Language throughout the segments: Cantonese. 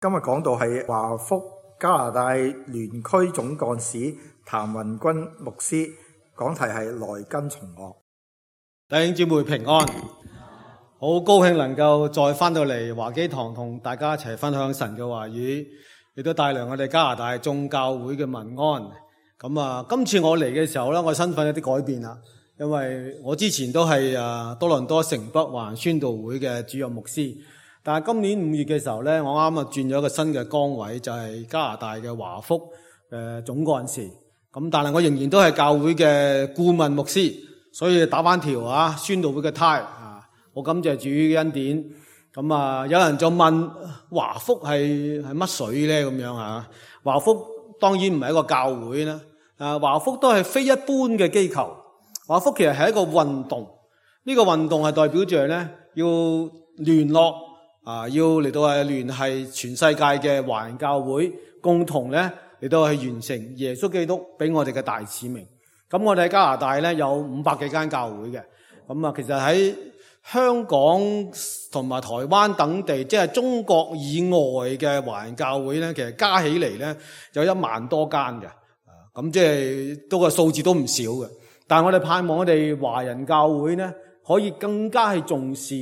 今日講到係華福加拿大聯區總幹事譚雲君牧師，講題係來跟從我。弟兄姊妹平安，好高興能夠再翻到嚟華基堂同大家一齊分享神嘅話語，亦都帶來我哋加拿大眾教會嘅民安。今次我嚟嘅時候咧，我身份有啲改變啦，因為我之前都係多倫多城北華人宣道會嘅主任牧師。但係今年5月嘅時候咧，我啱轉咗一個新嘅崗位，就係加拿大嘅華福總幹事。但係我仍然都係教會嘅顧問牧師，所以打翻條宣道會嘅呔。我感謝主嘅恩典。有人就問華福係乜水咧？咁樣啊？華福當然唔係一個教會啦。華福都係非一般嘅機構。華福其實係一個運動。呢個運動係代表着咧要聯絡。要嚟到係聯繫全世界嘅華人教會，共同咧嚟到係完成耶穌基督俾我哋嘅大使命。咁我哋喺加拿大咧有500幾間教會嘅。其實喺香港同埋台灣等地，即係中國以外嘅華人教會咧，其實加起嚟咧有1萬多間嘅。即係都個數字都唔少嘅。但係我哋盼望我哋華人教會咧可以更加係重視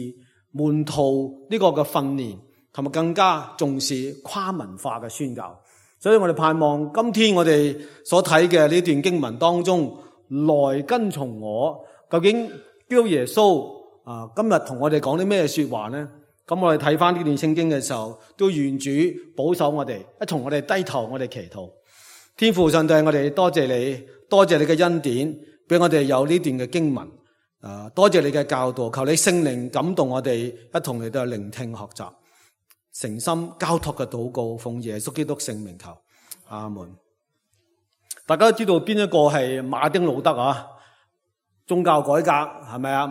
門徒呢個嘅訓練，同埋更加重視跨文化嘅宣教。所以我哋盼望今天我哋所睇嘅呢段經文當中，來跟從我，究竟基督耶穌今日同我哋講啲咩說話呢？咁我哋睇翻呢段聖經嘅時候，都願主保守我哋，一同我哋低頭，我哋祈禱。天父上帝，我哋多謝你，多謝你嘅恩典，俾我哋有呢段嘅經文。多謝你嘅教導，求你聖靈感動我哋，一同嚟到聆聽學習，誠心交託嘅禱告，奉耶穌基督聖名求，阿門。大家都知道邊一個係馬丁路德啊？宗教改革係咪啊？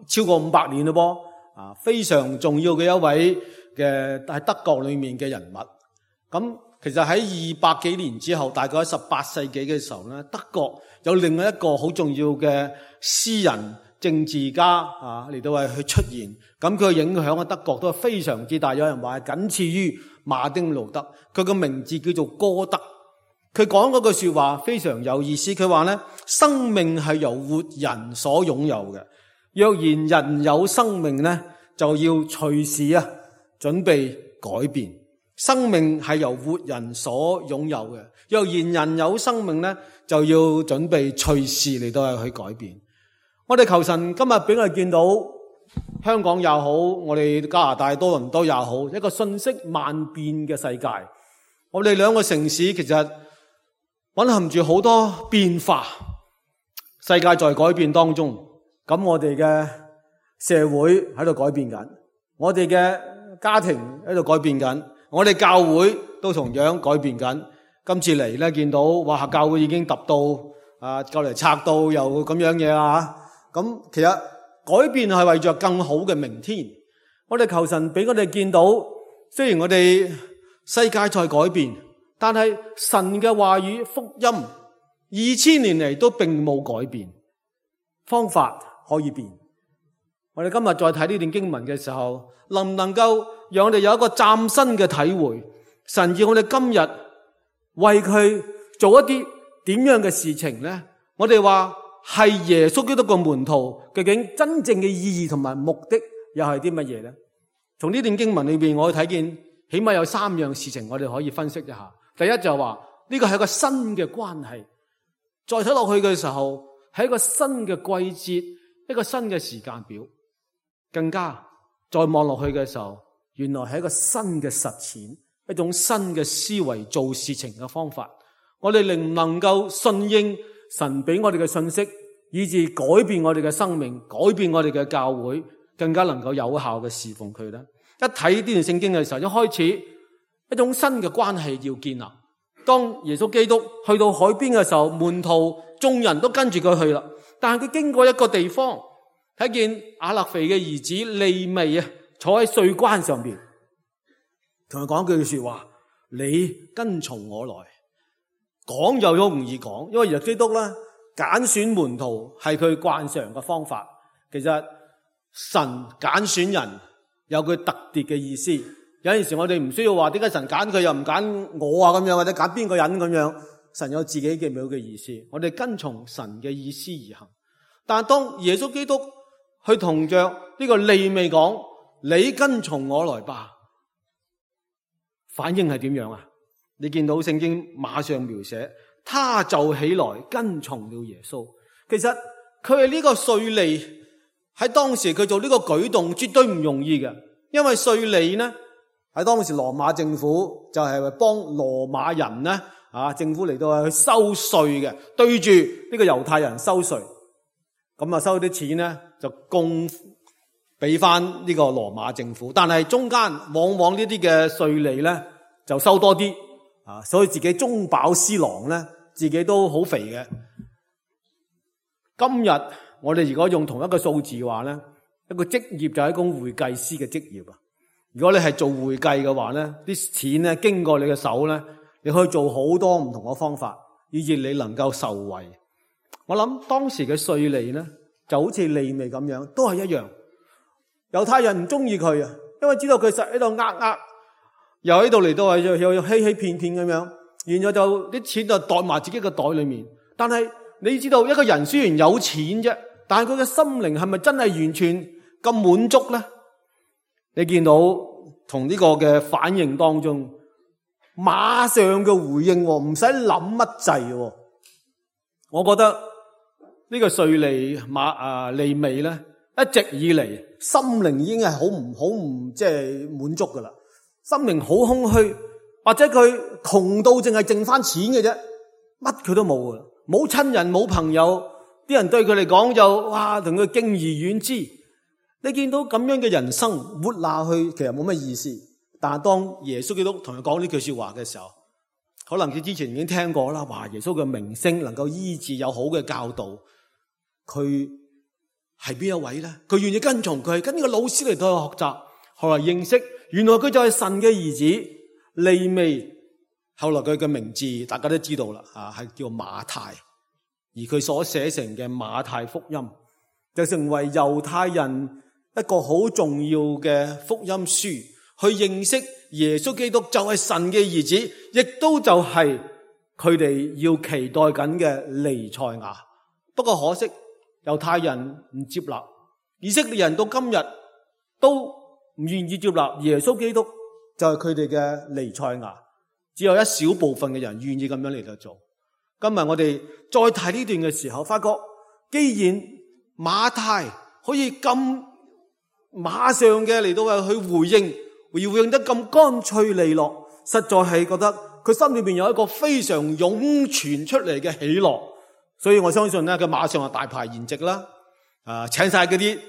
超過500年咯噃，非常重要嘅一位嘅喺德國裏面嘅人物。其實喺200幾年之後，大概喺18世紀嘅時候咧，德國有另外一個好重要嘅詩人、政治家嚟到係去出現。咁佢嘅影響喺德國都係非常之大，有人話係僅次於馬丁路德。佢個名字叫做歌德。佢講嗰句說話非常有意思。佢話咧，生命係由活人所擁有嘅。若然人有生命咧，就要隨時準備改變。生命係由活人所擁有嘅。若然人有生命咧，就要準備隨時嚟到去改變。我哋求神今日俾我哋見到香港也好，我哋加拿大多倫多也好，一個信息萬變嘅世界。我哋兩個城市其實蘊含住好多變化，世界在改變當中。咁我哋嘅社會喺度改變緊，我哋嘅家庭喺度改變緊，我哋教會都同樣改變緊。今次嚟咧，見到哇，教會已經揼到就嚟拆到又咁樣嘢啦。咁其實改變係為着更好嘅明天。我哋求神俾我哋見到，雖然我哋世界在改變，但係神嘅話語福音2000年嚟都並冇改變。方法可以變。我哋今日再睇呢段經文嘅時候，能唔能夠讓我哋有一個嶄新嘅體會？神要我哋今日為佢做一啲點樣嘅事情呢？我哋話係耶穌基督嘅門徒，究竟真正嘅意義同埋目的又係啲乜嘢呢？從呢段經文裏邊，我睇見起碼有3樣事情我哋可以分析一下。第一就係話呢個係一個新嘅關係，再睇落去嘅時候係一個新嘅季節，一個新嘅時間表。更加再望落去嘅時候，原來係一個新嘅實踐，一種新嘅思維做事情嘅方法。我哋能唔能夠順應神俾我哋嘅信息，以致改變我哋嘅生命，改變我哋嘅教會，更加能夠有效嘅侍奉佢呢？一睇呢段聖經嘅時候，一開始一種新嘅關係要建立。當耶穌基督去到海邊嘅時候，門徒眾人都跟住佢去啦。但係佢經過一個地方，睇見亞勒腓嘅兒子利未坐喺稅關上邊，同佢講句說話：你跟從我來。講又好容易講，因為耶穌基督咧揀選門徒係佢慣常嘅方法。其實神揀選人有佢特別嘅意思，有陣時我哋唔需要話點解神揀佢又唔揀我啊咁樣，或者揀邊個人咁樣。神有自己嘅美好嘅意思，我哋跟從神嘅意思而行。但係當耶穌基督去同着呢個利未講，你跟從我來吧，反應係點樣啊？你見到聖經馬上描寫，他就起來跟從了耶穌。其實佢係呢個稅吏，喺當時佢做呢個舉動絕對唔容易嘅，因為稅吏呢喺當時羅馬政府就係幫羅馬人呢政府嚟到去收稅嘅，對住呢個猶太人收稅，咁啊收啲錢呢就供俾翻呢個羅馬政府，但係中間往往呢啲嘅稅吏呢就收多啲所以自己中飽私囊呢，自己都好肥嘅。今日我哋如果用同一個數字話呢，一個職業就係一個會計師嘅職業啊。如果你係做會計嘅話呢，啲錢呢經過你嘅手呢，你可以做好多唔同嘅方法，以致你能夠受惠。我諗當時嘅稅吏呢，就好似利未咁樣，都係一樣。猶太人唔中意佢啊，因為知道佢實喺度又喺度嚟到又欺欺騙騙咁樣，然後就啲錢就袋埋自己嘅袋裏面。但係你知道一個人雖然有錢啫，但係佢嘅心靈係咪真係完全咁滿足呢？你見到同呢個嘅反應當中，馬上嘅回應，唔使諗乜滯。我覺得呢個稅吏利未咧，一直以嚟心靈已經係好唔即係滿足噶啦，心靈好空虛，或者佢窮到淨係剩翻錢嘅啫，乜佢都冇噶啦，冇親人冇朋友，啲人對佢嚟講就哇同佢敬而遠之。你見到咁樣嘅人生活下去，其實冇乜意思。但係當耶穌基督同佢講呢句說話嘅時候，可能佢之前已經聽過啦，話耶穌嘅名聲能夠醫治，有好嘅教導，佢係邊一位咧？佢願意跟從佢，跟呢個老師嚟到去學習，後來認識，原來佢就係神嘅兒子利未。後來佢嘅名字大家都知道啦，係叫馬太，而佢所寫成嘅馬太福音就成為猶太人一個好重要嘅福音書，去認識耶穌基督就係神嘅兒子，亦都就係佢哋要期待緊嘅彌賽亞。不過可惜猶太人唔接納，以色列人到今日都唔願意接納耶穌基督就係佢哋嘅彌賽亞，只有一小部分嘅人願意咁樣嚟到做。今日我哋再睇呢段嘅時候，發覺既然馬太可以咁馬上嘅嚟到去回應，回應得咁乾脆利落，實在係覺得佢心裏邊有一個非常湧泉出嚟嘅喜樂。所以我相信咧，佢馬上就大排筵席啦，請晒嗰啲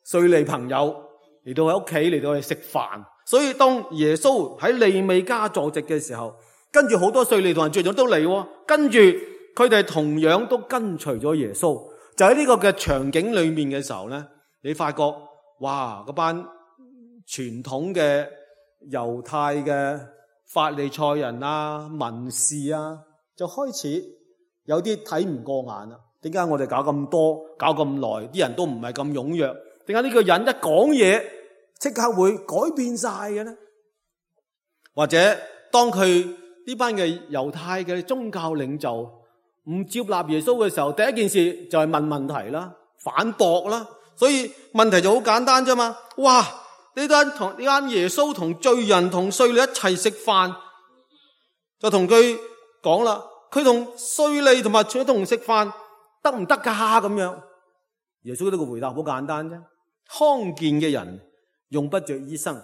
稅吏朋友嚟到喺屋企嚟到去食飯。所以當耶穌喺利未家坐席嘅時候，跟住好多稅吏同人聚咗都嚟，跟住佢哋同樣都跟隨咗耶穌。就喺呢個嘅場景裏面嘅時候咧，你發覺哇，嗰班傳統嘅猶太嘅法利賽人啊、文士啊，就開始有啲睇唔過眼啦。點解我哋搞咁多、搞咁耐，啲人都唔係咁踴躍？點解呢個人一講嘢即刻會改變晒嘅呢？或者當佢呢班嘅猶太嘅宗教領袖唔接納耶穌嘅時候，第一件事就係問問題啦、反駁啦。所以問題就好簡單啫嘛。哇！呢間耶穌同罪人同稅吏一齊食飯，就同佢講啦，佢同稅吏同埋佢同食飯得唔得㗎？咁樣耶穌呢個回答好簡單啫。康健嘅人用不着醫生，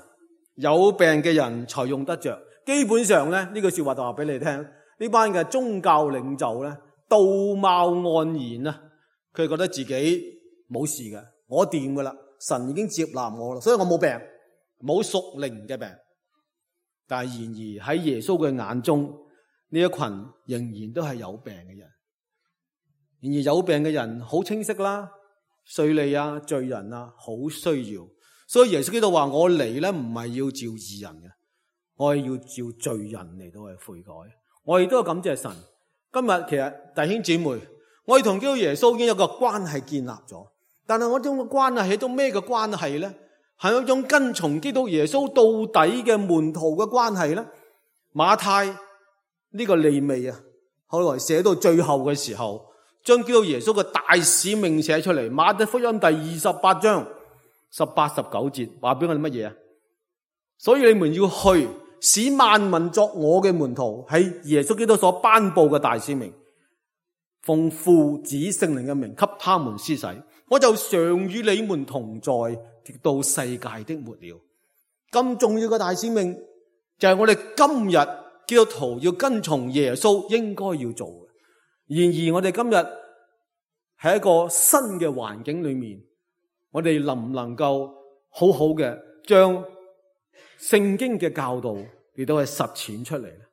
有病嘅人才用得着。基本上咧，呢句說話就話俾你聽，呢班嘅宗教領袖咧，道貌岸然啊，佢覺得自己冇事嘅，我掂噶啦，神已經接納我啦，所以我冇病，冇屬靈嘅病。但係然而喺耶穌嘅眼中，呢一群仍然都係有病嘅人。然而有病嘅人好清晰啦，稅吏啊、罪人啊，好需要。所以耶穌基督話：我嚟咧唔係要召義人嘅，我係要召罪人嚟到去悔改。我亦都要感謝神。今日其實弟兄姊妹，我哋同基督耶穌已經有個關係建立咗，但係我呢種關係係一種咩嘅關係咧？係一種跟從基督耶穌到底嘅門徒嘅關係呢？馬太呢個利未啊，後來寫到最後嘅時候，將基督耶穌嘅大使命寫出嚟。馬太福音第28章18、19節話俾我哋乜嘢啊？所以你們要去，使萬民作我嘅門徒，係耶穌基督所頒布嘅大使命。奉父子聖靈嘅名給他們施洗，我就常與你們同在，直到世界的末了。咁重要嘅大使命就係我哋今日基督徒要跟從耶穌應該要做嘅。然而我哋今日喺一個新嘅環境裏面，我哋能唔能夠好好嘅將聖經嘅教導嚟到去實踐出嚟呢？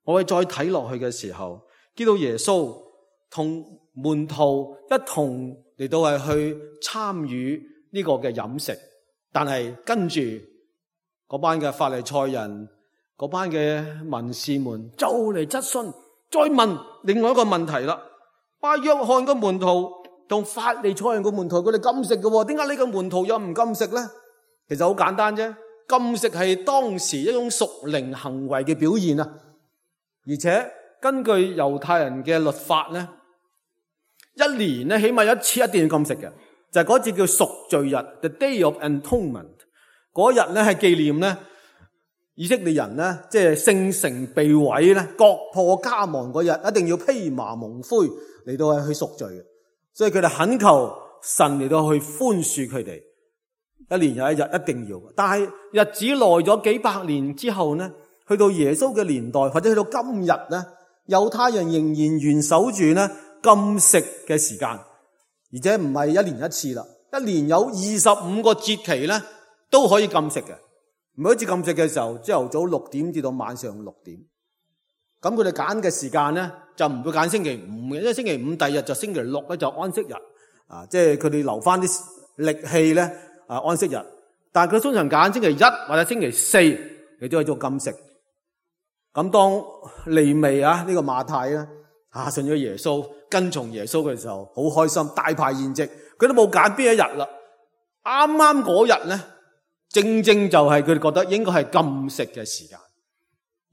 我哋再睇落去嘅時候，基督耶穌同門徒一同嚟到係去參與呢個嘅飲食，但係跟住嗰班嘅法利賽人、嗰班嘅文士們就嚟質詢，再問另外一個問題啦。約翰嘅門徒同法利賽人嘅門徒，佢哋禁食嘅，點解呢個門徒又唔禁食呢？其實好簡單啫，禁食係當時一種屬靈行為嘅表現啊！而且根據猶太人嘅律法咧，一年咧起碼一次一定要禁食嘅，就係嗰節叫贖罪日 ，the Day of Atonement。嗰日咧係紀念咧以色列人咧，即係聖城被毀咧，國破家亡嗰日，一定要披麻蒙灰嚟到係去贖罪嘅。所以佢哋懇求神嚟到去寬恕佢哋，一年有一日一定要。但係日子耐咗幾百年之後呢，去到耶穌嘅年代，或者去到今日呢，猶太人仍然嚴守住呢禁食嘅時間，而且唔係一年一次啦，一年有25個節期呢都可以禁食嘅。每一次禁食嘅時候，朝頭早6點至到晚上6點。咁佢哋揀嘅時間呢，就唔會揀星期5嘅，因為星期5第二日就星期6咧就安息日，即係佢哋留翻啲力氣咧安息日。但係佢通常揀星期1或者星期4嚟都去做禁食。咁當利未呢個馬太咧信咗耶穌，跟從耶穌嘅時候，好開心，大排筵席，佢都冇揀邊一日啦。啱啱嗰日咧，正正就係佢哋覺得應該係禁食嘅時間。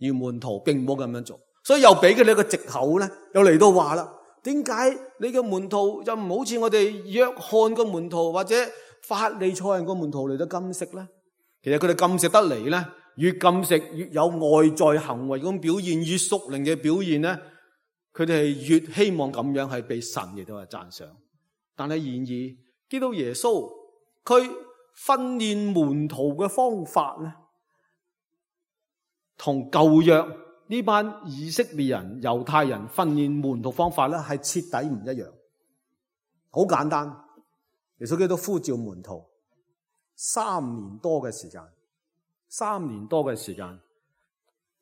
而門徒並冇咁樣做，所以又俾佢哋一個藉口咧，又嚟到話啦，點解你嘅門徒就唔好似我哋約翰個門徒或者法利賽人個門徒嚟到禁食咧？其實佢哋禁食得嚟咧，越禁食越有外在行為咁表現，越屬靈嘅表現咧，佢哋係越希望咁樣係被神嚟到係讚賞。但係然而，基督耶穌佢訓練門徒嘅方法咧，同舊約呢班以色列人、猶太人訓練門徒方法咧，係徹底唔一樣。好簡單，耶穌基督呼召門徒3年多嘅時間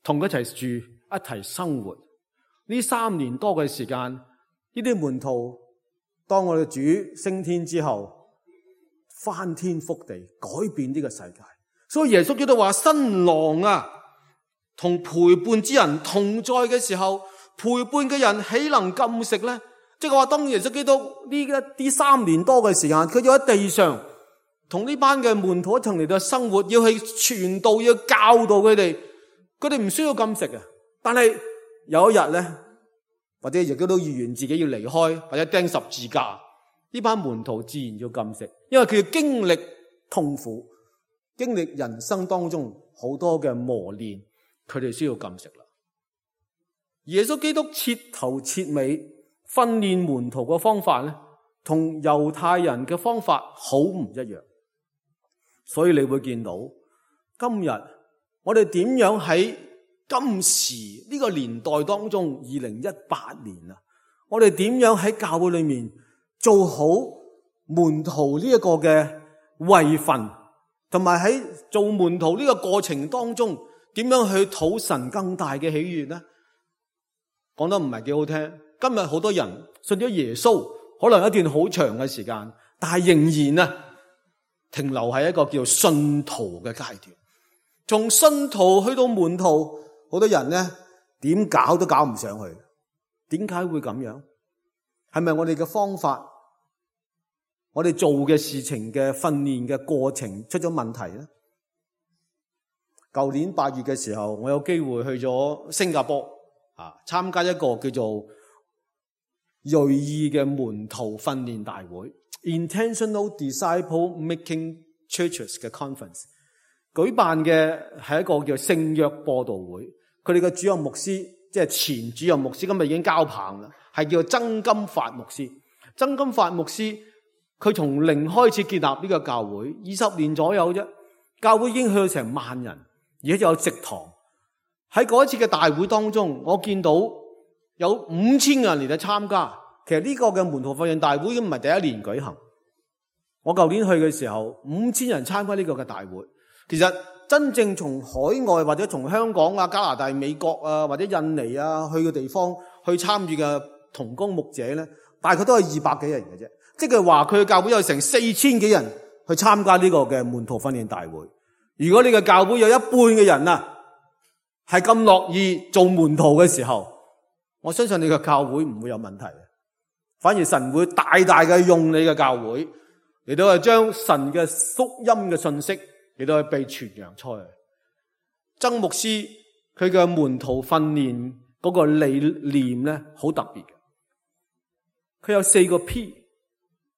同佢一齊住，一齊生活。呢3年多嘅時間，呢啲門徒當我哋主升天之後，翻天覆地改變呢個世界。所以耶穌基督話：新郎啊，同陪伴之人同在嘅時候，陪伴嘅人豈能禁食呢？即係話當耶穌基督呢啲3年多嘅時間，佢要喺地上同呢班嘅門徒一齊嚟到生活，要去傳道，要教導佢哋唔需要禁食嘅。但係有一日咧，或者亦都預言自己要離開，或者釘十字架，呢班門徒自然要禁食，因為佢要經歷痛苦，經歷人生當中好多嘅磨練。佢哋需要禁食啦。耶穌基督徹頭徹尾訓練門徒嘅方法咧，同猶太人嘅方法好唔一樣。所以你會見到今日我哋點樣喺今時呢個年代當中，2018年啊，我哋點樣喺教會裏面做好門徒呢一個嘅位份，同埋喺做門徒呢個過程當中，點樣去討神更大嘅喜悅呢？講得唔係幾好聽。今日好多人信咗耶穌，可能一段好長嘅時間，但係仍然停留喺一個叫信徒嘅階段。從信徒去到門徒，好多人呢點搞都搞唔上去。點解會咁樣？係咪我哋嘅方法我哋做嘅事情嘅訓練嘅過程出咗問題咧？舊年8月嘅時候，我有機會去咗新加坡參加一個叫做銳意嘅門徒訓練大會 Intentional Disciple Making Churches 嘅 conference， 舉辦嘅係一個叫聖約播道會。佢哋嘅主任牧師即係前主任牧師，今日已經交棒啦，係叫曾金發牧師。曾金發牧師佢從零開始建立呢個教會，20年左右啫，教會已經去到成萬人，而且有植堂。喺嗰一次嘅大會當中，我見到有5000人嚟到參加。其實呢個嘅門徒訓練大會已經唔係第一年舉行。我舊年去嘅時候，5000人參加呢個嘅大會。其實真正從海外或者從香港啊、加拿大、美國啊或者印尼啊去嘅地方去參與嘅同工牧者咧，大概都係200幾人嘅啫。即係話佢嘅教會有成4000幾人去參加呢個嘅門徒訓練大會。如果你嘅教會有一半嘅人係咁樂意做門徒嘅時候，我相信你嘅教會唔會有問題，反而神會大大嘅用你嘅教會嚟到去將神嘅福音嘅信息嚟到去被傳揚出去。曾牧師佢嘅門徒訓練嗰個理念咧好特別嘅，佢有4個 P，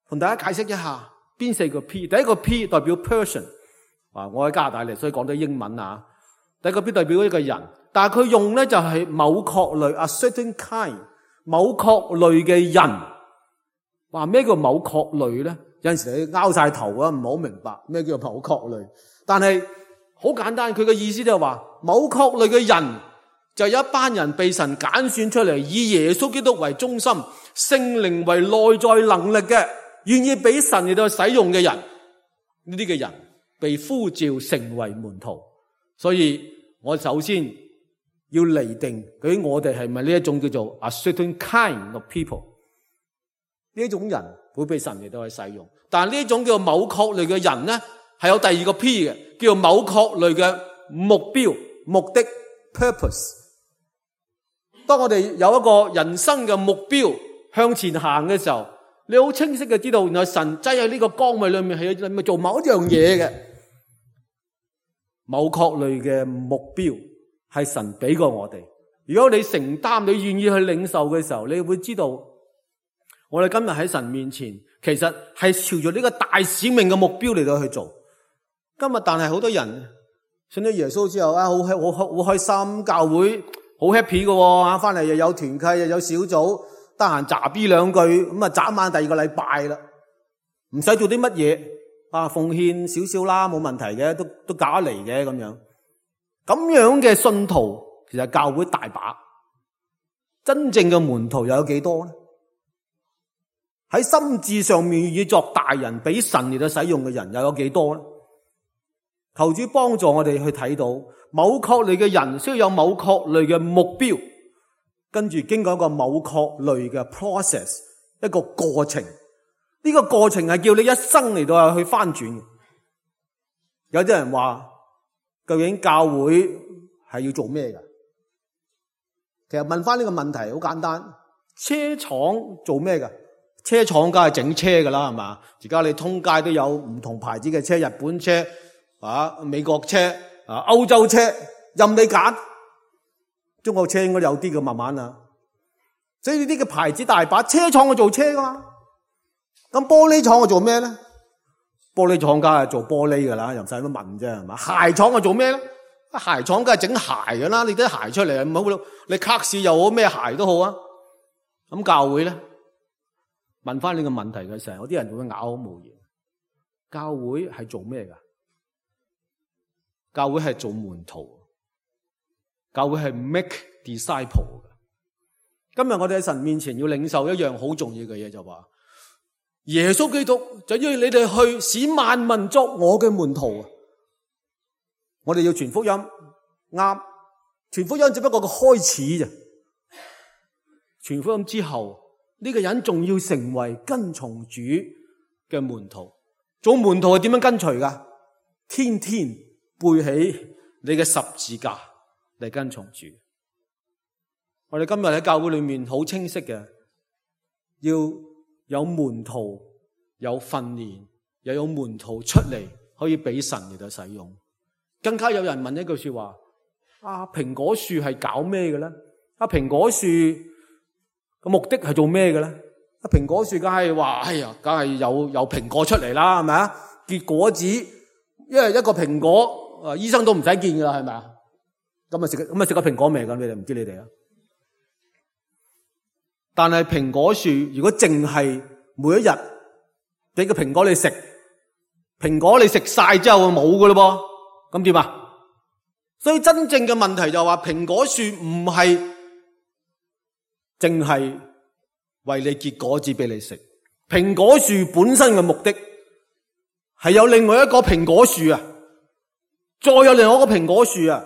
同大家解釋一下邊4個 P。第一個 P 代表 person， 我喺加拿大嚟，所以講到英文啊。第一個 P 代表一個人，但係佢用咧就係某確類 a certain kind， 某確類嘅人。話咩叫某確類咧？有陣時你拗晒頭啊，唔好明白咩叫某確類。但係好簡單，佢嘅意思就係話某確類嘅人就有一班人被神揀選出嚟，以耶穌基督為中心，聖靈為內在能力嘅，願意俾神嚟到使用嘅人。呢啲嘅人被呼召成為門徒。所以我首先要釐定究竟我哋係咪呢一種叫做 a certain kind of people， 呢一種人會被神嚟到去使用。但係呢一種叫某確類嘅人咧，係有第二個 P 嘅，叫某確類嘅目標、目的 purpose。 當我哋有一個人生嘅目標向前行嘅時候，你好清晰嘅知道原來神擠喺呢個崗位裏面係咪做某一樣嘢嘅。某確類嘅目標係神俾過我哋，如果你承擔，你願意去領受嘅時候，你會知道我哋今日喺神面前其實係朝住呢個大使命嘅目標嚟到去做。今日但係好多人信咗耶穌之後好開心，教會好 happy 嘅，翻嚟又有團契又有小組，得閒詐 B 兩句咁眨晚第2個禮拜啦，唔使做啲乜嘢奉獻少少啦，冇問題嘅，都搞得嚟嘅咁樣。咁樣嘅信徒其實教會大把，真正嘅門徒又有幾多呢？喺心智上面願意作大人俾神嚟到使用嘅人又有幾多呢？求主幫助我哋去睇到某確類嘅人需要有某確類嘅目標，跟住經過一個某確類嘅 process， 一個過程。呢個過程係叫你一生嚟到去翻轉嘅。有啲人話究竟教會係要做咩㗎？其實問翻呢個問題好簡單，車廠做咩㗎？車廠梗係整車㗎啦，係嘛？而家你通街都有唔同牌子嘅車，日本車美國車歐洲車，任你揀。中國車應該有啲嘅，慢慢啦。所以呢啲嘅牌子大把，車廠去做車㗎嘛。咁玻璃廠我做咩咧？玻璃廠梗係做玻璃噶啦，又唔使乜問啫，係嘛？鞋廠我做咩咧？鞋廠梗係整鞋噶啦，你啲鞋出嚟唔好，你卡士又好，咩鞋都好啊。咁教會咧，問翻呢個問題嘅時候，有啲人會啞口無言。教會係做咩噶？教會係做門徒，教會係 make disciple。今日我哋喺神面前要領受一樣好重要嘅嘢，就話耶穌基督就要你哋去使萬民作我嘅門徒。我哋要傳福音，啱，傳福音只不過個開始啫。傳福音之後，呢個人仲要成為跟從主嘅門徒。做門徒係點樣跟隨噶？天天背起你嘅十字架嚟跟從主。我哋今日喺教會裏面好清晰嘅，要有門徒有訓練，又有門徒出嚟可以俾神嚟到使用。更加有人問一句說話：蘋果樹係搞咩嘅咧？蘋果樹個目的係做咩嘅咧？蘋果樹梗係話，梗係有蘋果出嚟啦，係咪啊？結果子，因為一個蘋果，醫生都唔使見噶啦，係咪啊？咁食個蘋果未㗎？你哋唔知你哋啊？但係蘋果樹如果淨係每一日俾個蘋果你食，蘋果你食晒之後冇噶咯噃，咁點啊？所以真正嘅問題就係話，蘋果樹唔係淨係為你結果子俾你食，蘋果樹本身嘅目的係有另外一個蘋果樹啊，再有另外一個蘋果樹啊，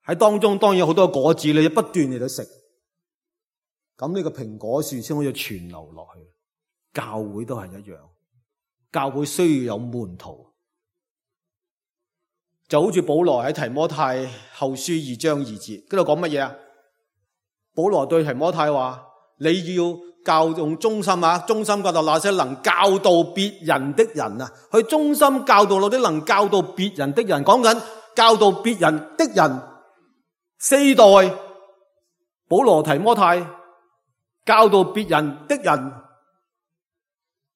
喺當中當然有好多果子，你不斷嚟到食，咁呢個蘋果樹先可以傳流落去。教會都係一樣，教會需要有門徒，就好似保羅喺提摩太後書2章2節，嗰度講乜嘢啊？保羅對提摩太話：你要教用忠心教導那些能教導別人的人啊，去忠心教導那啲能教導別人的人。講緊教導別人的人，4代保羅提摩太教導別人的人。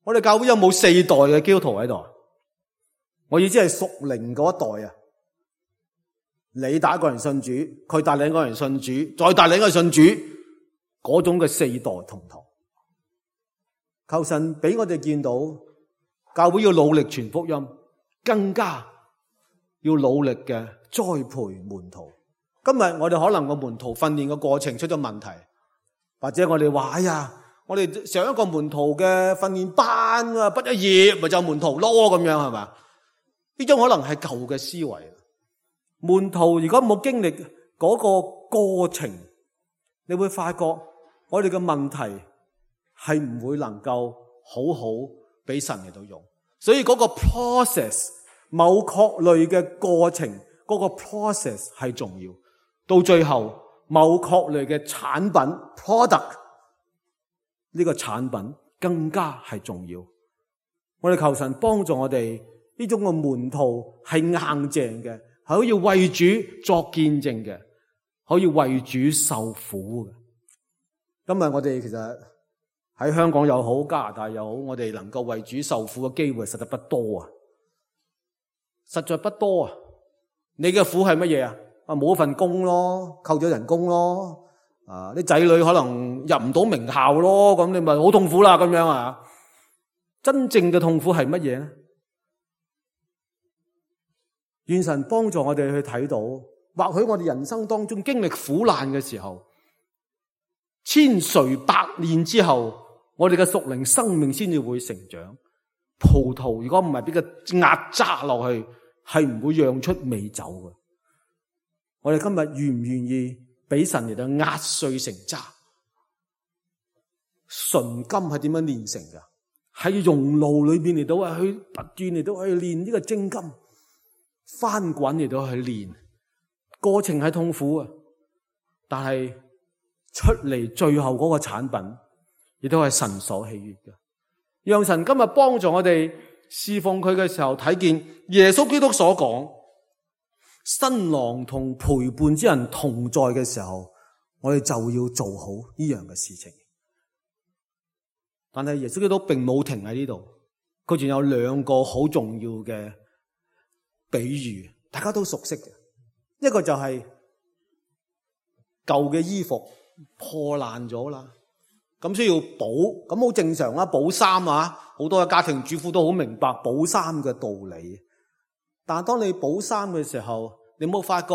我哋教會有冇4代嘅基督徒喺度？我意思係屬靈嗰一代啊！你帶一個人信主，佢帶另一個人信主，再帶另一個人信主，嗰種嘅4代同堂。求神俾我哋見到，教會要努力傳福音，更加要努力嘅栽培門徒。今日我哋可能個門徒訓練嘅過程出咗問題，或者我哋話我哋上一個門徒嘅訓練班啊，畢咗業咪就門徒咯，咁樣係嘛？呢種可能係舊嘅思維。門徒如果冇經歷嗰個過程，你會發覺我哋嘅問題係唔會能夠好好俾神嚟到用。所以嗰個 process， 某確類嘅過程，嗰個 process 係重要。到最後某確類嘅產品 product，呢個產品更加係重要。我哋求神幫助我哋呢種嘅門徒係硬淨嘅，係可以為主作見證嘅，可以為主受苦嘅。今日我哋其實喺香港又好，加拿大又好，我哋能夠為主受苦嘅機會實在不多啊，實在不多啊。你嘅苦係乜嘢啊？冇一份工咯，扣咗人工咯。啲仔女可能入唔到名校咯，咁你咪好痛苦啦，咁樣啊！真正嘅痛苦係乜嘢咧？願神幫助我哋去睇到，或許我哋人生當中經歷苦難嘅時候，千錘百煉之後，我哋嘅屬靈生命先至會成長。葡萄如果唔係俾佢壓榨落去，係唔會釀出美酒嘅。我哋今日願唔願意俾神嚟到壓碎成渣？純金係點樣煉成噶？喺熔爐裏邊嚟到去不斷嚟到去煉呢個精金，翻滾嚟到去煉，過程係痛苦啊！但係出嚟最後嗰個產品，亦都係神所喜悅嘅。讓神今日幫助我哋侍奉佢嘅時候，睇見耶穌基督所講，新郎同陪伴之人同在嘅時候，我哋就要做好呢樣嘅事情。但係耶穌基督並冇停喺呢度，佢仲有2個好重要嘅比喻，大家都熟悉嘅。一個就係舊嘅衣服破爛咗啦，咁需要補，咁好正常啦，補衫啊，好多嘅家庭主婦都好明白補衫嘅道理。但係當你補衫嘅時候，你有冇發覺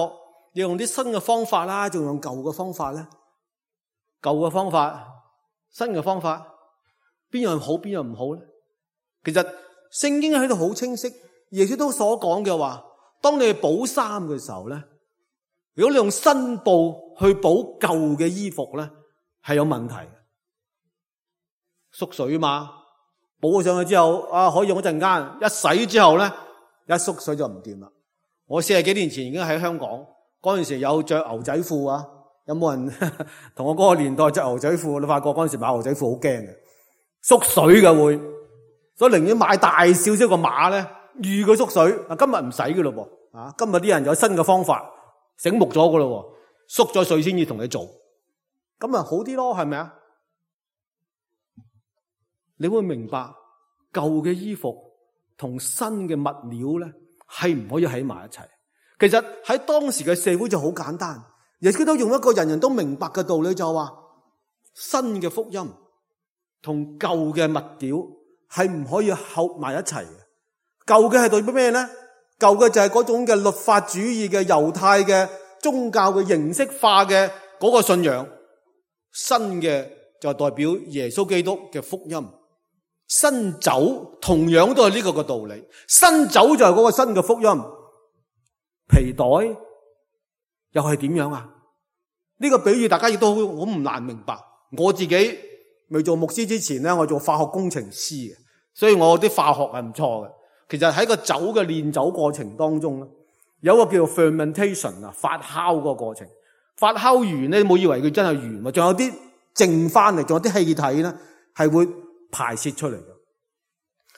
要用啲新嘅方法啦，仲用舊嘅方法咧？舊嘅方法，新嘅方法，邊樣好邊樣唔好咧？其實聖經喺度好清晰，耶穌都所講嘅話，當你補衫嘅時候咧，如果你用新布去補舊嘅衣服咧，係有問題嘅，縮水嘛，補咗上去之後可以用一陣間，一洗之後咧，一縮水就唔掂啦。我40幾年前已經喺香港，嗰陣時有着牛仔褲啊，有冇人同我嗰個年代着牛仔褲？你發覺嗰陣時買牛仔褲好驚嘅，縮水嘅會，所以寧願買大少少個碼咧，預佢縮水。今日唔使噶咯噃，今日啲人有新嘅方法，醒目咗噶咯，縮咗水先至同你做，咁咪好啲咯，係咪啊？你會明白舊嘅衣服同新嘅物料咧係唔可以喺埋一齊。其實喺當時嘅社會就好簡單，耶穌基督用一個人人都明白嘅道理就話，新嘅福音同舊嘅物料係唔可以合埋一齊嘅。舊嘅係代表咩咧？舊嘅就係嗰種嘅律法主義嘅猶太嘅宗教嘅形式化嘅嗰個信仰，新嘅就代表耶穌基督嘅福音。新酒同樣都係呢個嘅道理，新酒就係嗰個新嘅福音。皮袋又係點樣啊？呢個比喻大家亦都好唔難明白。我自己未做牧師之前咧，我做化學工程師嘅，所以我啲化學係唔錯嘅。其實喺個酒嘅煉酒過程當中咧，有一個叫做 fermentation 啊，發酵嗰個過程。發酵完咧，你冇以為佢真係完，仲有啲剩翻嚟，仲有啲氣體咧係會排泄出嚟嘅。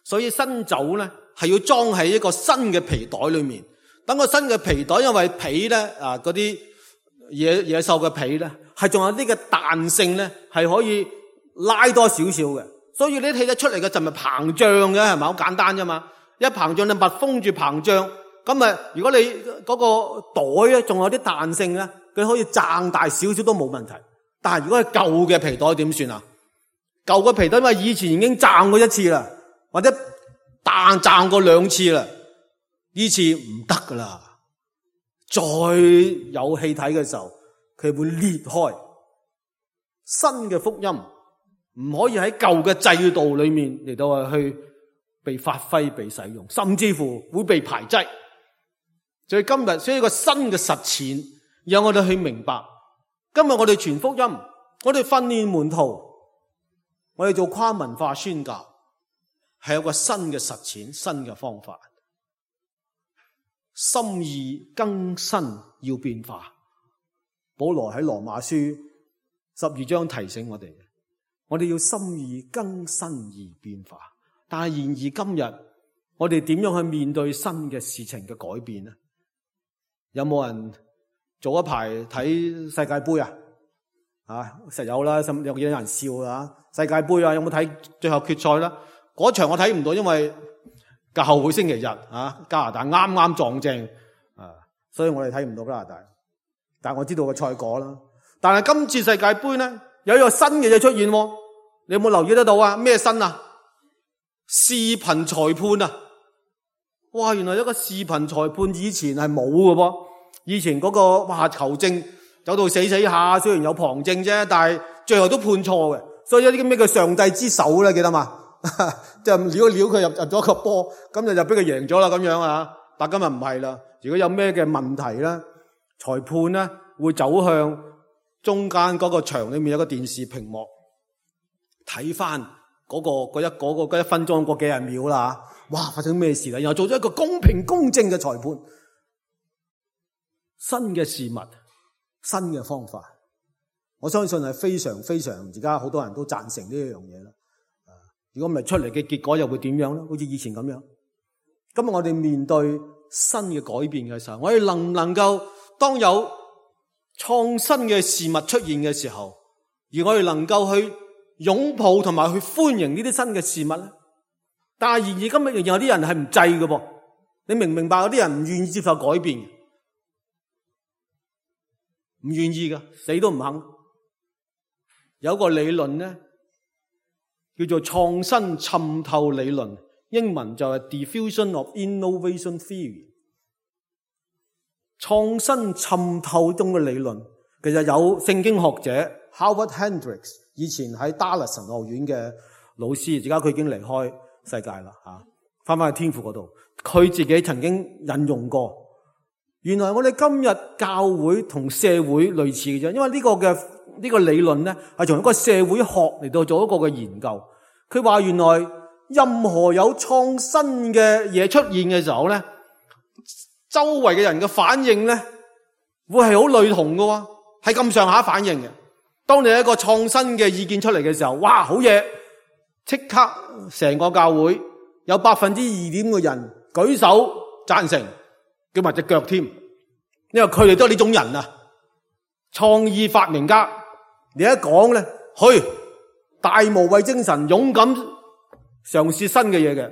所以新酒咧係要裝喺一個新嘅皮袋裏面。等個新嘅皮袋，因為皮咧嗰啲野獸嘅皮咧係仲有啲嘅彈性咧，係可以拉多少少嘅。所以你睇得出嚟嘅就咪膨脹嘅，係咪好簡單啫嘛？一膨脹你密封住膨脹，咁啊如果你嗰個袋咧仲有啲彈性咧，佢可以脹大少少都冇問題。但係如果係舊嘅皮袋點算啊？舊嘅皮袋因為以前已經脹過一次啦，或者脹過2次啦，呢次唔得噶啦。再有氣體嘅時候，佢會裂開。新嘅福音唔可以喺舊嘅制度裏面嚟到去被發揮、被使用，甚至乎會被排擠。所以今日需要一個新嘅實踐，讓我哋去明白。今日我哋傳福音，我哋訓練門徒，我哋做跨文化宣教，係有個新嘅實踐、新嘅方法。心意更新要變化。保羅喺羅馬書12章提醒我哋，我哋要心意更新而變化。但係然而今日我哋點樣去面對新嘅事情嘅改變呢？有冇人早一排睇世界盃啊？實有啦，有幾多人笑啊？世界盃啊，有冇睇最後決賽啦？嗰場我睇唔到，因為教會星期日加拿大啱啱撞正所以我哋睇唔到加拿大。但係我知道個賽果啦。但係今次世界盃咧，有一個新嘅嘢出現，你有冇留意得到啊？咩新啊？視頻裁判啊！哇，原來一個視頻裁判以前係冇嘅噃。以前嗰個球證走到死下，雖然有旁證啫，但係最後都判錯嘅。所以有啲咩叫上帝之手咧？記得嘛？即係撩一撩佢入咗個波，咁就俾佢贏咗啦咁樣啊！但今日唔係啦。如果有咩嘅問題咧，裁判咧會走向中間嗰個場裏面有個電視屏幕，睇翻嗰一分鐘嗰幾十秒啦。哇！發生咩事啦？然後做咗一個公平公正嘅裁判。新嘅事物，新嘅方法，我相信係非常非常，而家好多人都贊成呢一樣嘢啦。如果唔係出嚟嘅結果又會點樣咧？好似以前咁樣。今日我哋面對新嘅改變嘅時候，我哋能唔能夠當有創新嘅事物出現嘅時候，而我哋能夠去擁抱同埋去歡迎呢啲新嘅事物咧？但係然而今日仍然有啲人係唔制嘅噃。你明唔明白？有啲人唔願意接受改變，唔願意㗎，死都唔肯。有個理論咧，叫做創新滲透理論，英文就係 Diffusion of Innovation Theory。創新滲透中嘅理論，其實有聖經學者 Howard Hendricks， 以前喺 Dallas 神學院嘅老師，而家佢已經離開世界啦，翻去天父嗰度。佢自己曾經引用過，原來我哋今日教會同社會類似嘅啫，因為呢個理論咧係從一個社會學嚟到做一個嘅研究。佢話原來任何有創新嘅嘢出現嘅時候咧，周圍嘅人嘅反應咧會係好類同嘅，係咁上下反應嘅。當你有一個創新嘅意見出嚟嘅時候，哇，好嘢！即刻成個教會有 2.5% 嘅人舉手贊成，叫埋隻腳添，因為佢哋都係呢種人啊，創意發明家。你一講咧，去大無畏精神，勇敢嘗試新嘅嘢嘅，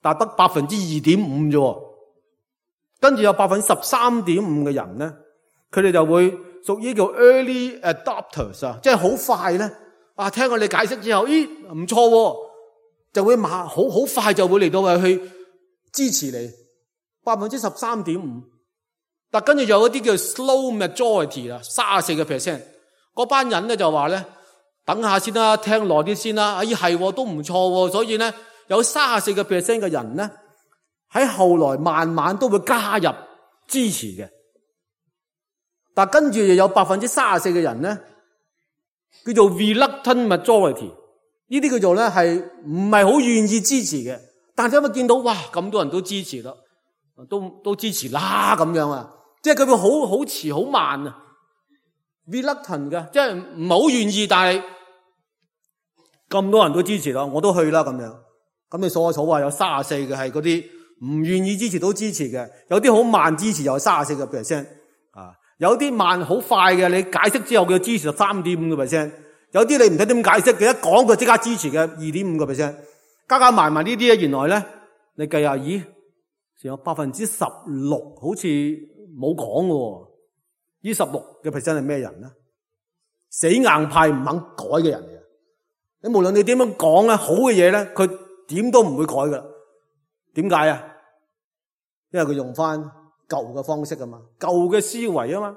但係得 2.5% 啫。跟住有 13.5% 嘅人咧，佢哋就會屬於叫 early adopters 啊，即係好快咧啊！聽我哋解釋之後，咦唔錯喎，就會好快就會嚟到去支持你 13.5%。但跟住有一啲叫 slow majority 啦，34%，嗰班人咧就話咧，等下先啦，聽耐啲先啦。咦係都唔錯喎，所以咧有 34% 嘅人咧喺後來慢慢都會加入支持嘅。但跟住又有 34% 嘅人咧，叫做 reluctant majority， 呢啲叫做咧係唔係好願意支持嘅。但係因為見到哇咁多人都支持啦，都支持啦咁樣啊，即係佢會好遲好慢啊 ，reluctant 嘅，即係唔係好願意，但係咁多人都支持啦，我都去啦咁樣。咁你數下數話有34嘅係嗰啲唔願意支持都支持嘅，有啲好慢支持又係 34% 啊。有啲慢好快嘅，你解釋之後佢支持 3.5%， 有啲你唔使點解釋，佢一講佢即刻支持嘅 2.5%， 加埋呢啲咧，原來咧你計下，咦，仲有 16% 好似冇講嘅，呢 16% 係咩人咧？死硬派唔肯改嘅人嚟嘅。你無論你點樣講咧，好嘅嘢咧，佢點都唔會改噶。點解啊？因為佢用翻舊嘅方式啊嘛，舊嘅思維啊嘛，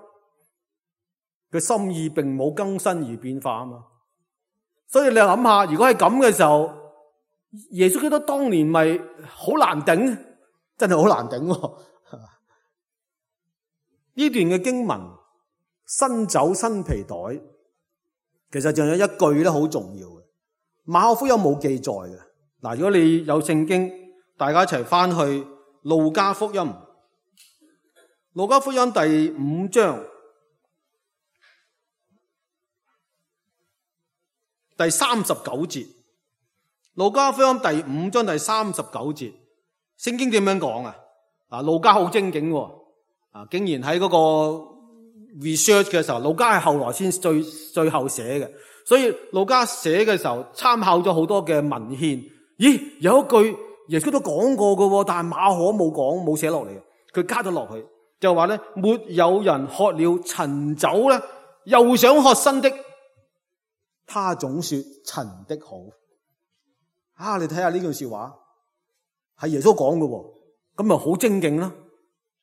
佢心意並冇更新而變化啊嘛。所以你諗下，如果係咁嘅時候，耶穌基督當年咪好難頂，真係好難頂喎。呢段嘅經文，新酒新皮袋，其實仲有一句咧好重要嘅，馬可福音冇記載嘅。嗱，如果你有聖經，大家一齊翻去路加福音。路加福音第5章第39節，路加福音第5章第39節，聖經點樣講啊？路加好精警喎，竟然喺嗰個 research 嘅時候，路加係後來先最後寫嘅，所以路加寫嘅時候參考咗好多嘅文獻。咦，有一句耶穌都講過嘅，但係馬可冇講，冇寫落嚟嘅，佢加咗落去。就話咧，沒有人喝了陳酒咧，又想喝新的，他總說陳的好。你睇下呢句說話，係耶穌講嘅，咁咪好精警啦。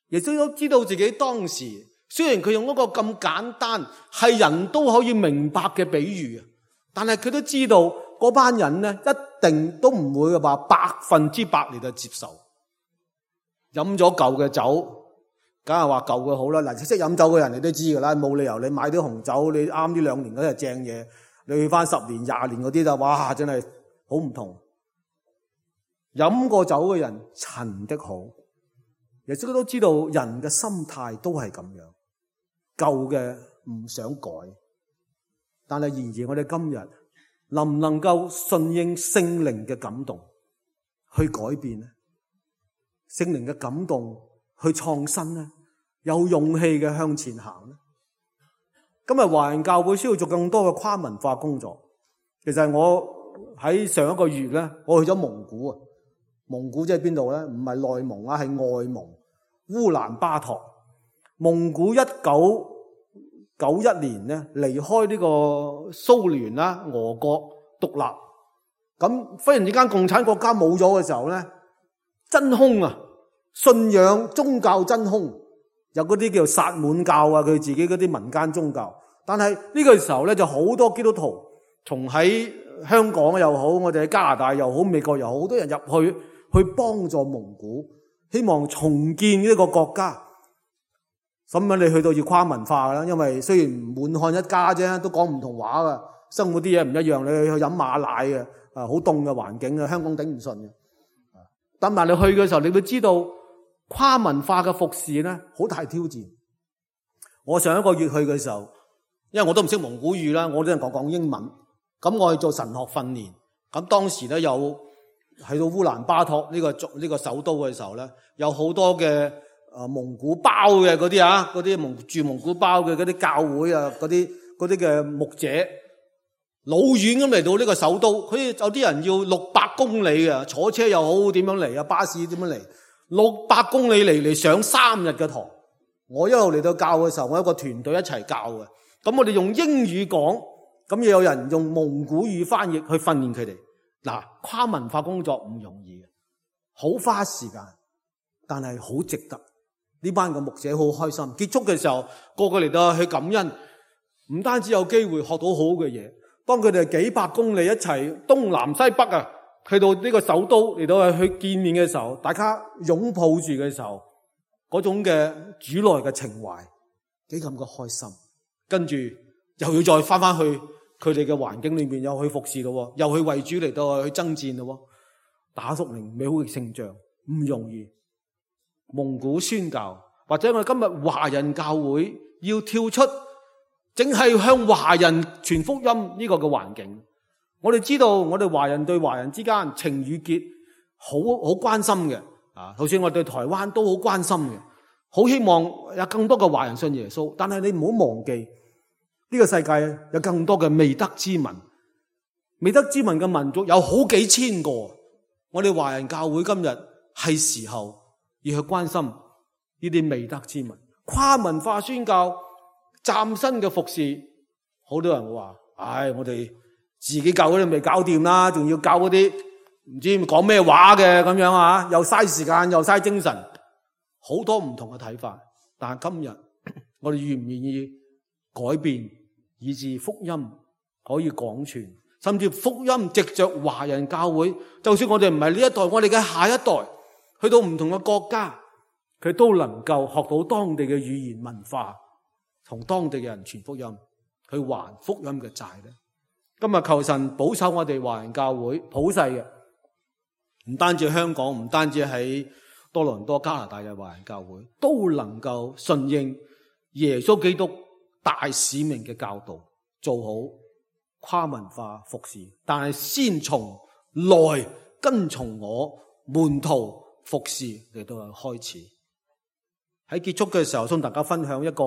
耶穌都知道自己當時，雖然佢用一個咁簡單，係人都可以明白嘅比喻，但係佢都知道嗰班人咧，一定都唔會話100%嚟到接受。飲咗舊嘅酒，梗係話舊嘅好啦。嗱，識飲酒嘅人你都知噶啦，冇理由你買啲紅酒，你啱呢2年嗰啲係正嘢，你去翻10年、20年嗰啲就哇，真係好唔同。飲過酒嘅人陳的好，耶穌都知道人嘅心態都係咁樣，舊嘅唔想改，但係然而我哋今日能唔能夠順應聖靈嘅感動去改變呢？聖靈嘅感動去創新呢？有勇氣嘅向前行呢？今日華人教會需要做更多嘅跨文化工作。其實我喺上一個月咧，我去咗蒙古啊。蒙古即係邊度咧？唔係內蒙啊，係外蒙，烏蘭巴托。蒙古1991年咧離開呢個蘇聯啦，俄國獨立。咁忽然之間共產國家冇咗嘅時候咧，真空啊，信仰宗教真空，有嗰啲叫薩滿教啊，佢自己嗰啲民間宗教。但係呢個時候咧，就好多基督徒從喺香港又好，我哋喺加拿大又好，美國又好，好多人入去幫助蒙古，希望重建呢個國家。咁樣你去到要跨文化啦，因為雖然滿漢一家啫，都講唔同話噶，生活啲嘢唔一樣。你去飲馬奶嘅，好凍嘅環境啊，香港頂唔順嘅。但係你去嘅時候，你會知道跨文化嘅服侍咧，好大挑戰。我上一個月去嘅時候，因為我都唔識蒙古語啦，我都係講英文。咁我去做神學訓練，咁當時咧有喺到烏蘭巴托呢個首都嘅時候咧，有好多嘅蒙古包嘅嗰啲啊，嗰啲住蒙古包嘅嗰啲教會啊，嗰啲嘅牧者，老遠咁嚟到呢個首都，佢有啲人要600公里啊，坐車又好，點樣嚟啊？巴士點樣嚟？600公里嚟上3日嘅堂。我一路嚟到教嘅時候，我有一個團隊一齊教嘅。咁我哋用英語講，咁又有人用蒙古語翻譯去訓練佢哋。嗱，跨文化工作唔容易嘅，好花時間，但係好值得。呢班嘅牧者好開心。結束嘅時候，個個嚟到去感恩，唔單止有機會學到好嘅嘢。當佢哋幾百公里一齊東南西北啊，去到呢個首都嚟到去見面嘅時候，大家擁抱住嘅時候，嗰種嘅主內嘅情懷，幾咁嘅開心。跟住又要再翻去佢哋嘅環境裏面，又去服侍咯，又去為主嚟到去爭戰咯，打屬靈美好嘅勝仗，唔容易。蒙古宣教，或者我哋今日華人教會要跳出淨係向華人傳福音呢個嘅環境。我哋知道我哋華人對華人之間情與結好關心嘅啊，就算我哋對台灣都好關心嘅，好希望有更多嘅華人信耶穌。但係你唔好忘記呢個世界有更多嘅未得之民，未得之民嘅民族有好幾千個。我哋華人教會今日係時候要去關心呢啲未得之民，跨文化宣教，嶄新嘅服侍。好多人會話，我哋自己教嗰啲未搞掂啦，仲要教嗰啲唔知講咩話嘅咁樣啊，又嘥時間又嘥精神，好多唔同嘅睇法。但係今日我哋願唔願意改變，以致福音可以廣傳，甚至福音藉着華人教會，就算我哋唔係呢一代，我哋嘅下一代去到唔同嘅國家，佢都能夠學到當地嘅語言文化，同當地嘅人傳福音，去還福音嘅債咧。今日求神保守我哋華人教會普世嘅，唔單止香港，唔單止喺多倫多加拿大嘅華人教會，都能夠順應耶穌基督大使命嘅教導，做好跨文化服侍。但係先從來跟從我門徒服侍嚟到開始。喺結束嘅時候，想大家分享一個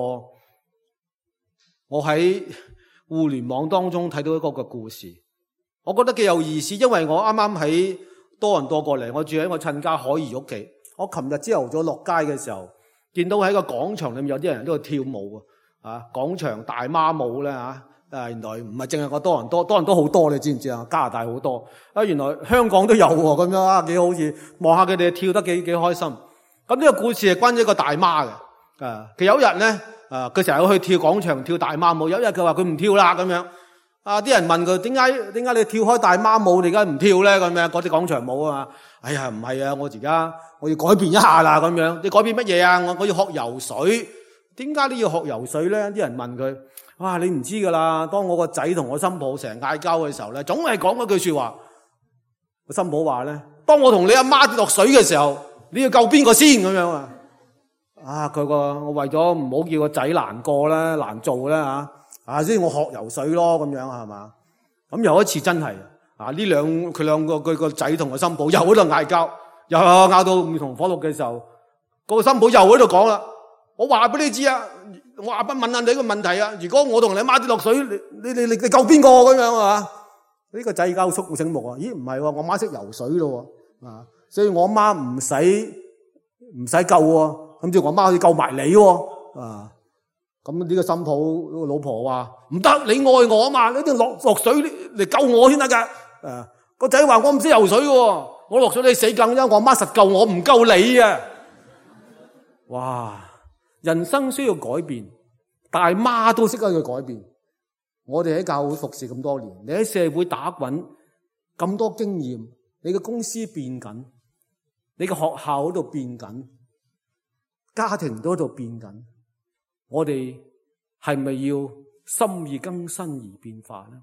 我喺互聯網當中睇到一個嘅故事，我覺得幾有意思。因為我啱啱喺多倫多過嚟，我住喺我親家海怡屋企。我琴日朝頭早落街嘅時候，見到喺個廣場裏面有啲人喺度跳舞啊！廣場大媽舞咧原來唔係淨係個多倫多好多，你知唔知啊？加拿大好多原來香港都有咁樣啊，幾好似望下佢哋跳得幾開心。咁呢個故事係關於一個大媽嘅佢有一日咧佢成日去跳廣場跳大媽舞。有一日佢話佢唔跳啦咁樣啲人問佢點解你跳開大媽舞，你而家唔跳咧咁樣嗰啲廣場舞啊？哎呀唔係啊，我而家我要改變一下啦咁樣。你改變乜嘢啊？我要學游水。點解你要學游水咧？啲人問佢，哇你唔知噶啦，當我個仔同我新抱成日嗌交嘅時候咧，總係講一句說話。個新抱話咧，當我同你阿媽跌落水嘅時候，你要救邊個先咁樣啊？我為咗唔好叫個仔難過啦，難做啦所以我學游水咯咁樣係嘛？咁有一次真係佢兩個佢個仔同個新抱又喺度嗌交，又拗到唔同火燭嘅時候，個新抱又喺度講啦。我話俾你知啊，我話不問下你個問題啊。如果我同你媽跌落水，你救邊個咁樣啊？呢個仔而家好醒目啊！咦，唔係喎，我媽識游水咯所以我媽唔使救喎，咁即係我媽可以救埋你喎咁呢個新抱個老婆話唔得，你愛我啊嘛，你一定落水嚟救我先得噶。個仔話我唔識游水喎，我落水你死梗，因為我媽實救我，唔救你啊！哇！人生需要改變，大媽都識得去改變。我哋喺教會服侍咁多年，你喺社會打滾咁多經驗，你嘅公司變緊，你嘅學校喺度變緊，家庭都喺度變緊。我哋係咪要心意更新而變化呢？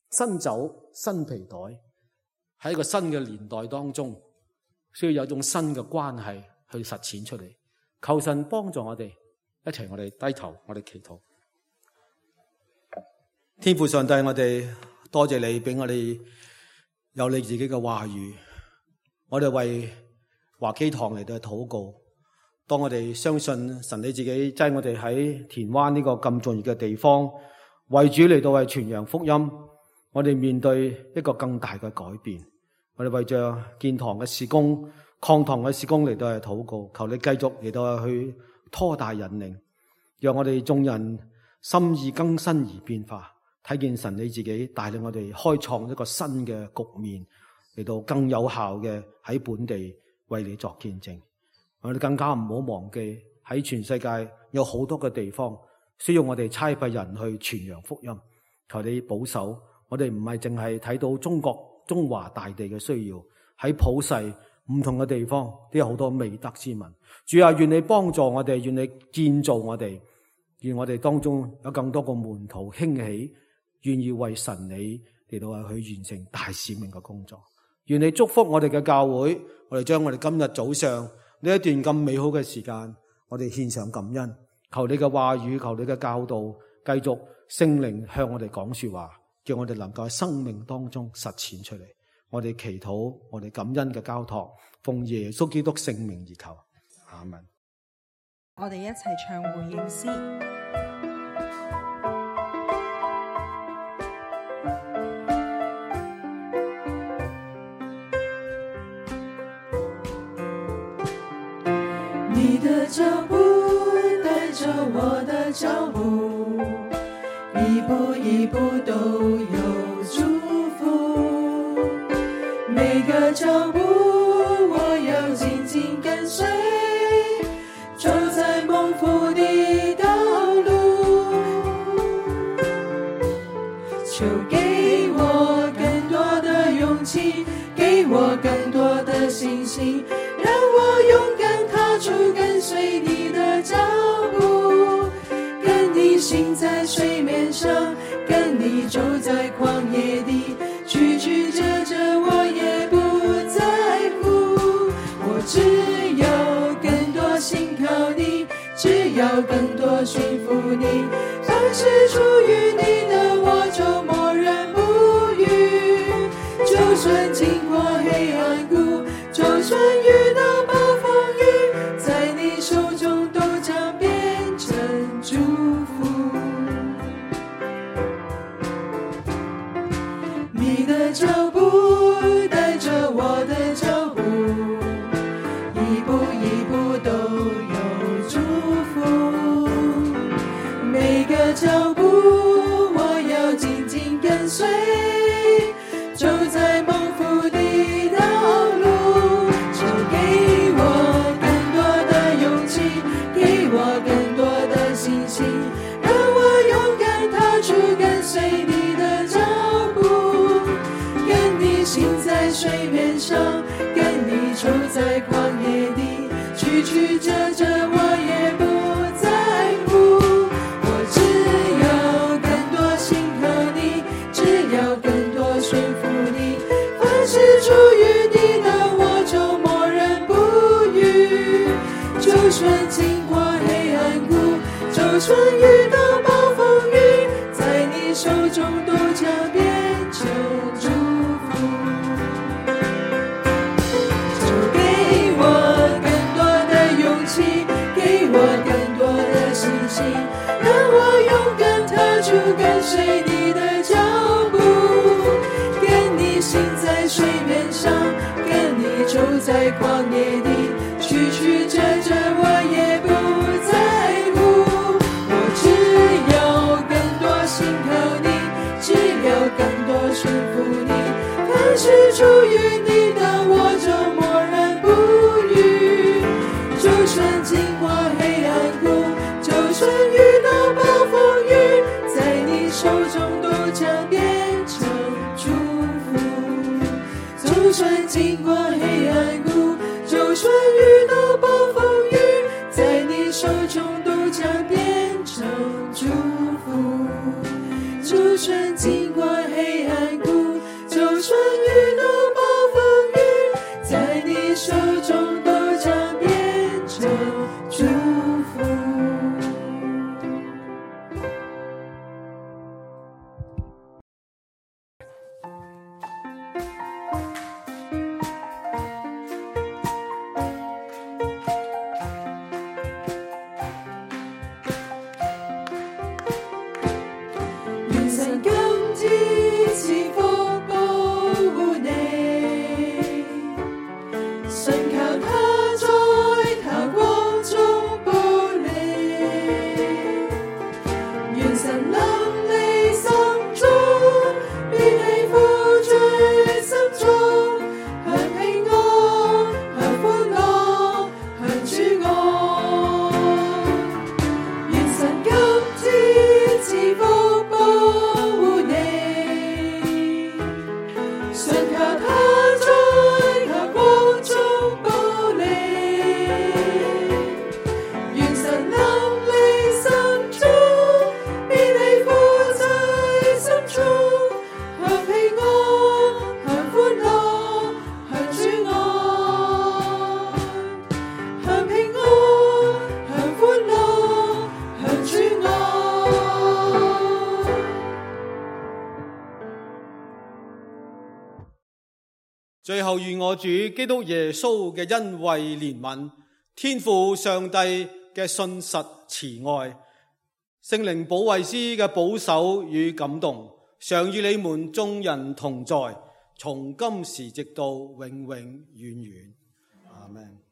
新酒新皮袋，喺一個新嘅年代當中，需要有種新嘅關係去實踐出嚟。求神幫助我哋，一齊我哋低頭，我哋祈禱。天父上帝，我哋多謝你俾我哋有你自己嘅話語，我哋為華基堂嚟到禱告。當我哋相信神你自己擠我哋喺田灣呢個咁重要嘅地方，為主嚟到為傳揚福音，我哋面對一個更大嘅改變。我哋為着建堂嘅事工、擴堂嘅事工嚟到去禱告，求你繼續嚟到去拖大引領，讓我哋眾人心意更新而變化，睇見神你自己帶領我哋開創一個新嘅局面，嚟到更有效嘅喺本地為你作見證。我哋更加唔好忘記喺全世界有好多嘅地方需要我哋差派人去傳揚福音。求你保守我哋，唔係淨係睇到中華大地嘅需要，喺普世唔同嘅地方都有好多未得之民。主啊，願你幫助我哋，願你建造我哋，願我哋當中有更多個門徒興起，願意為神你嚟到去完成大使命嘅工作。願你祝福我哋嘅教會，我哋將我哋今日早上呢一段咁美好嘅時間，我哋獻上感恩。求你嘅話語，求你嘅教導，繼續聖靈向我哋講說話，叫我哋能夠喺生命當中實踐出嚟。我哋祈禱，我哋感恩嘅交託，奉耶穌基督聖名而求，阿們。我哋一齊唱回應詩。你的腳步帶着我的腳步，一步一步都有祝福，每個腳步我要緊緊跟隨，走在蒙福的道路，求給我更多的勇氣，給我更多的信心，讓我勇敢踏出跟隨你的腳步，跟你行在水面上，跟你走在曠野地，曲曲折折我也不在乎，我只要更多信靠你，只要更多順服你，凡是屬於你的我就默然不語，就算經過黑暗谷，就算遇到暴風雨，在你手中都將變成祝福。你的腳步帶着我的腳步，一步一步都有祝福，每個腳步我要緊緊跟隨，走在蒙福的道路，求給我更多的勇氣，給我更多的信心，讓我勇敢踏出跟隨你的腳步，跟你行在水面上，跟你走在曠野地，曲曲折折我也不在乎，我只要更多信靠你，只要更多順服你，凡是屬於你的我就默然不語，就算經過黑暗谷，就算遇到暴風雨，在你手中都將變成祝福，就給我更多的勇氣，給我更多的信心，讓我勇敢踏出跟隨你的腳步，跟你行在水面上，跟你走在曠野地，曲曲折折我也不在乎，我只要更多信靠你，只要更多順服你，凡是屬於你的我就默然不語，就算經過黑暗谷，就算遇到暴風雨，在你手中都將變成祝福，就算經過黑暗谷，就算遇到暴風雨，在你手中都將變成祝福，就算經過黑暗谷，就算遇到暴風雨，在你手中都將變成祝福。最後願我主基督耶穌嘅恩惠憐憫，天父上帝嘅信實慈愛，聖靈保惠師嘅保守與感動，常與你們眾人同在，從今時直到永永遠遠。阿們。